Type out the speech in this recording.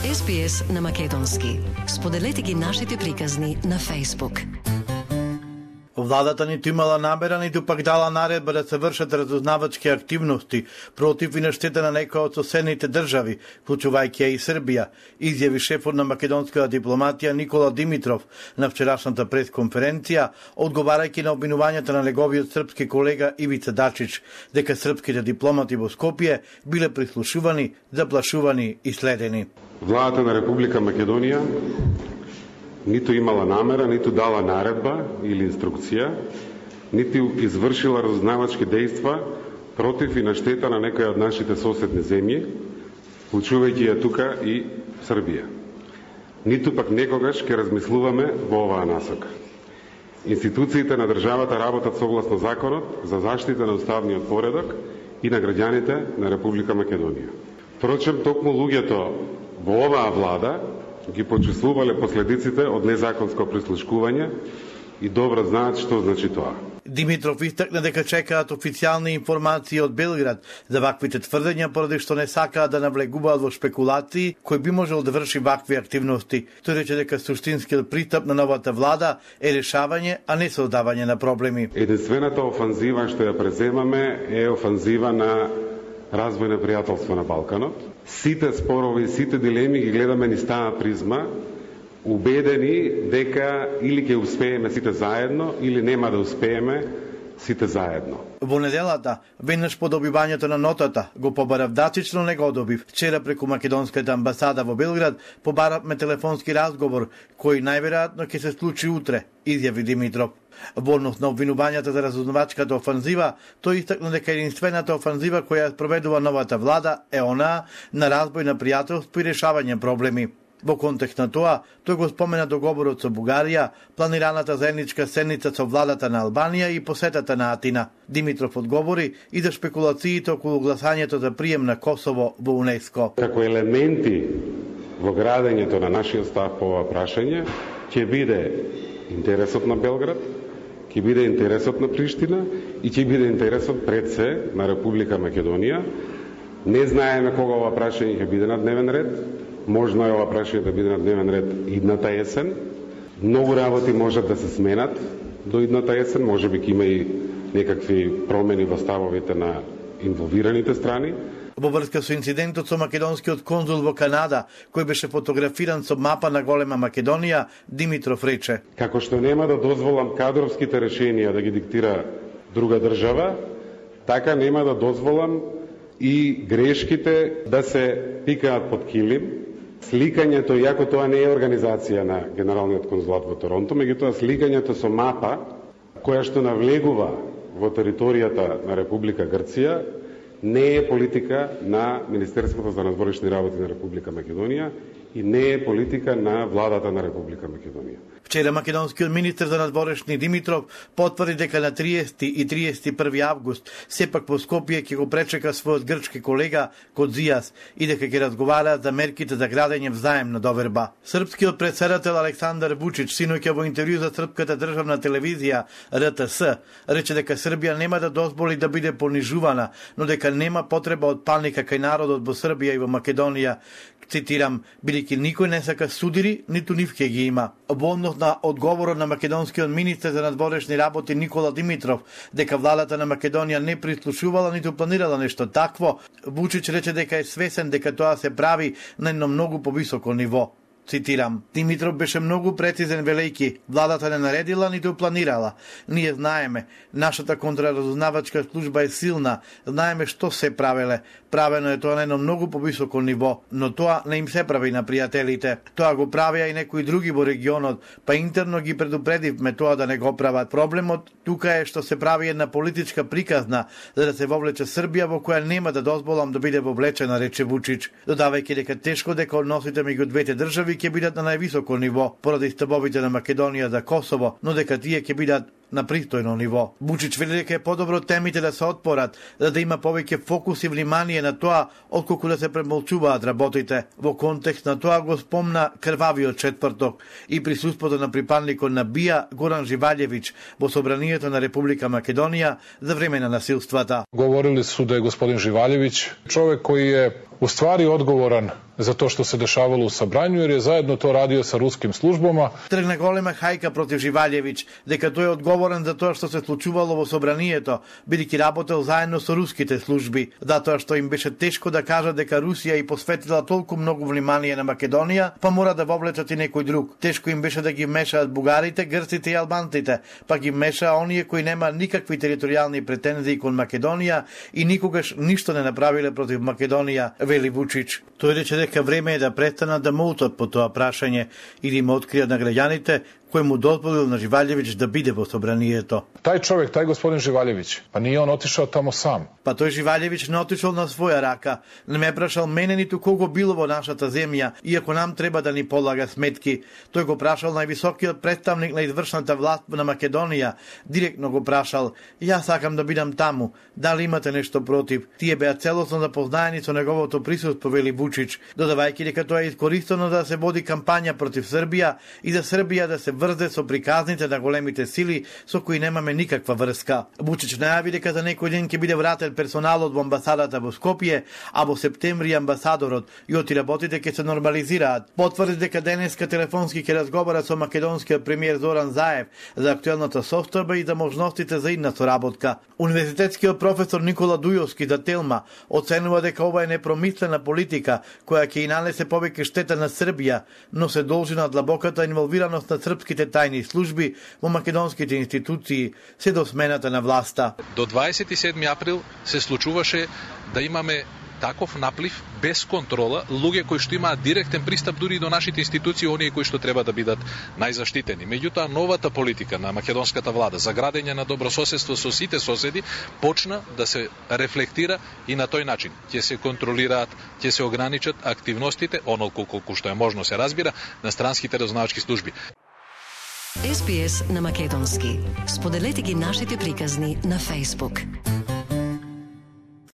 SPS на македонски. Споделете ги нашите приказни на Facebook. Владата ниту имала намера, ниту пак дала наредба да се вршат разузнавачки активности против и на штета на некои од соседните држави, вклучувајќи и Србија, изјави шефот на македонската дипломатија Никола Димитров на вчерашната пресконференција, одговарајќи на обвинувањата на неговиот српски колега Ивица Дачич, дека српските дипломати во Скопје биле прислушувани, заплашувани и следени. Владата на Република Македонија ниту имала намера, ниту дала наредба или инструкција, ниту извршила разузнавачки дејства против и на штета на некои од нашите соседни земји, вклучувајќи ја тука и Србија. Ниту пак некогаш ќе размислуваме во оваа насока. Институциите на државата работат согласно законот за заштита на уставниот поредок и на граѓаните на Република Македонија. Впрочем, токму луѓето во оваа влада ги почувствувале последиците од незаконско прислушкување и добро знаат што значи тоа. Димитров истакна дека чекаат официјални информации од Белград за ваквите тврдења, поради што не сакаат да навлегуваат во шпекулации кој би можел да врши вакви активности. Тој рече дека суштинскиот пристап на новата влада е решавање, а не создавање на проблеми. Единствената офанзива што ја преземаме е офанзива на развој на пријателство на Балканот. Сите спорови, сите дилеми ги гледаме низ таа призма, убедени дека или ќе успееме сите заедно, или нема да успееме сите заедно. Во неделата, веднаш по добивањето на нотата, го побарав Дачич, но не го добив. Вчера преку македонската амбасада во Белград побаравме телефонски разговор, кој најверојатно ќе се случи утре, изјави Димитров. Во однос на обвинувањата за разузнавачката офанзива, тој истакна дека единствената офанзива која спроведува новата влада е онаа на разбој на пријателство и решавање проблеми. Во контекст на тоа, тој го спомена договорот со Бугарија, планираната заедничка седница со владата на Албанија и посетата на Атина. Димитров одговори и за шпекулациите околу гласањето за прием на Косово во УНЕСКО. Како елементи во градењето на нашиот став по ова прашање ќе биде интересот на Белград, ќе биде интересот на Приштина и ќе биде интересот пред се на Република Македонија. Не знаеме кога ова прашање ќе биде на дневен ред. Можно е ова прашање да биде на дневен ред идната есен. Многу работи можат да се сменат до идната есен. Може би ќе има и некакви промени во ставовите на инволвираните страни. Во врска со инцидентот со македонскиот конзул во Канада, кој беше фотографиран со мапа на голема Македонија, Димитров рече: како што нема да дозволам кадровските решенија да ги диктира друга држава, така нема да дозволам и грешките да се пикаат под килим. Сликањето, иако тоа не е организација на Генералниот конзулат во Торонто, меѓутоа сликањето со мапа која што навлегува во територијата на Република Грција не е политика на Министерството за надворешни работи на Република Македонија и не е политика на владата на Република Македонија. Вчера македонскиот министер за надворешни Димитров потврди дека на 30 и 31 август сепак во Скопје ќе го пречека својот грчки колега Кодзијас и дека ќе разговараат за мерките за градење взаемна доверба. Српскиот претседател Александар Вучич синоќа во интервју за српската државна телевизија РТС рече дека Србија нема да дозволи да биде понижувана, но дека нема потреба од паника кај народот во Србија и во Македонија. Цитирам, бидејќи никој не сака судири, ниту нив ќе ги има. Во однос на одговорот на македонскиот министер за надворешни работи Никола Димитров дека владата на Македонија не прислушувала ниту планирала нешто такво, Вучич рече дека е свесен дека тоа се прави на едно многу повисоко ниво. Цитирам, Димитров беше многу прецизен велејќи, владата не наредила ниту планирала. Ние знаеме, нашата контраразузнавачка служба е силна, знаеме што се правеле. Правено е тоа на едно многу повисоко ниво, но тоа не им се прави на пријателите. Тоа го правеа и некои други во регионот, па интерно ги предупредивме тоа да не го прават. Проблемот тука е што се прави една политичка приказна за да се вовлече Србија во која нема да дозволам да биде вовлечена, рече Вучич, додавајќи дека тешко дека односите меѓу двете држави ќе бидат на највисоко ниво поради ставовите на Македонија за Косово, но дека тие ќе бидат на пристојно ниво. Вучич вели дека е подобро темите да се отпорат, за да има повеќе фокус и внимание на тоа, отколку да се премолчуваат работите. Во контекст на тоа го спомна крвавиот четврток и присуството на припадникот на БИА Горан Живаљевиќ во собранието на Република Македонија за време на насилствата. Говорили су да е господин Живаљевиќ човек кој е u stvari odgovoran za to što se dešavalo u Sabranju, jer je zajedno to radio sa ruskim službama. Тргна голема хајка против Живалјевиќ, дека тој е одговорен за тоа што се случувало во собранието, бидејќи работел заедно со руските служби, затоа што им беше тешко да кажат дека Русија и посветила толку многу внимание на Македонија, па мора да вовлечат и некој друг. Тешко им беше да ги мешаат бугарите, грците и албанците, па ги меша оние кои нема никакви територијални претензии кон Македонија и никогаш ништо не направиле против Македонија, вели Вучич. Тој рече дека време е да престанат да молтат по тоа прашање и да им откријат на граѓаните кој му дозволил на Живалјевиќ да биде во собранието. Тај човек, тај господин Живалјевиќ, па nije on отишao тамо сам. Па тој Живалјевиќ не отишол на своја рака, не ме прашал мене ниту кого било во нашата земја, иако нам треба да ни полага сметки. Тој го прашал највисокиот представник на извршната власт на Македонија, директно го прашал: "Јас сакам да бидам таму, дали имате нешто против?" Тие беа целосно запознаени со неговото присуство, вели Вучич, додавајќи дека тоа е искористено да се води кампања против Србија и за Србија да се врзе со приказните на големите сили со кои немаме никаква врска. Вучич најави дека за некој ден ќе биде вратен персоналот во амбасадата во Скопје, а во септември амбасадорот и отиработите ќе се нормализираат. Потврди дека денеска телефонски ќе разговара со македонскиот премиер Зоран Заев за актуелната состојба и за можностите за идна соработка. Универзитетскиот професор Никола Дујовски за Телма оценува дека ова е непромислена политика која ќе и нанесе повеќе штета на Србија, но се должи на длабоката инволвираност на српските тајни служби во македонските институции се до смената на власта. До 27 април се случуваше да имаме таков наплив без контрола, луѓе кои што имаат директен пристап дури до нашите институции, оние кои што треба да бидат најзаштитени. Меѓутоа, новата политика на македонската влада за градење на добрососедство со сите соседи почна да се рефлектира и на тој начин. Ќе се контролираат, ќе се ограничат активностите, онолку колку што е можно се разбира, на странските разузнавачки служби. SBS на македонски. Споделете ги нашите приказни на Facebook.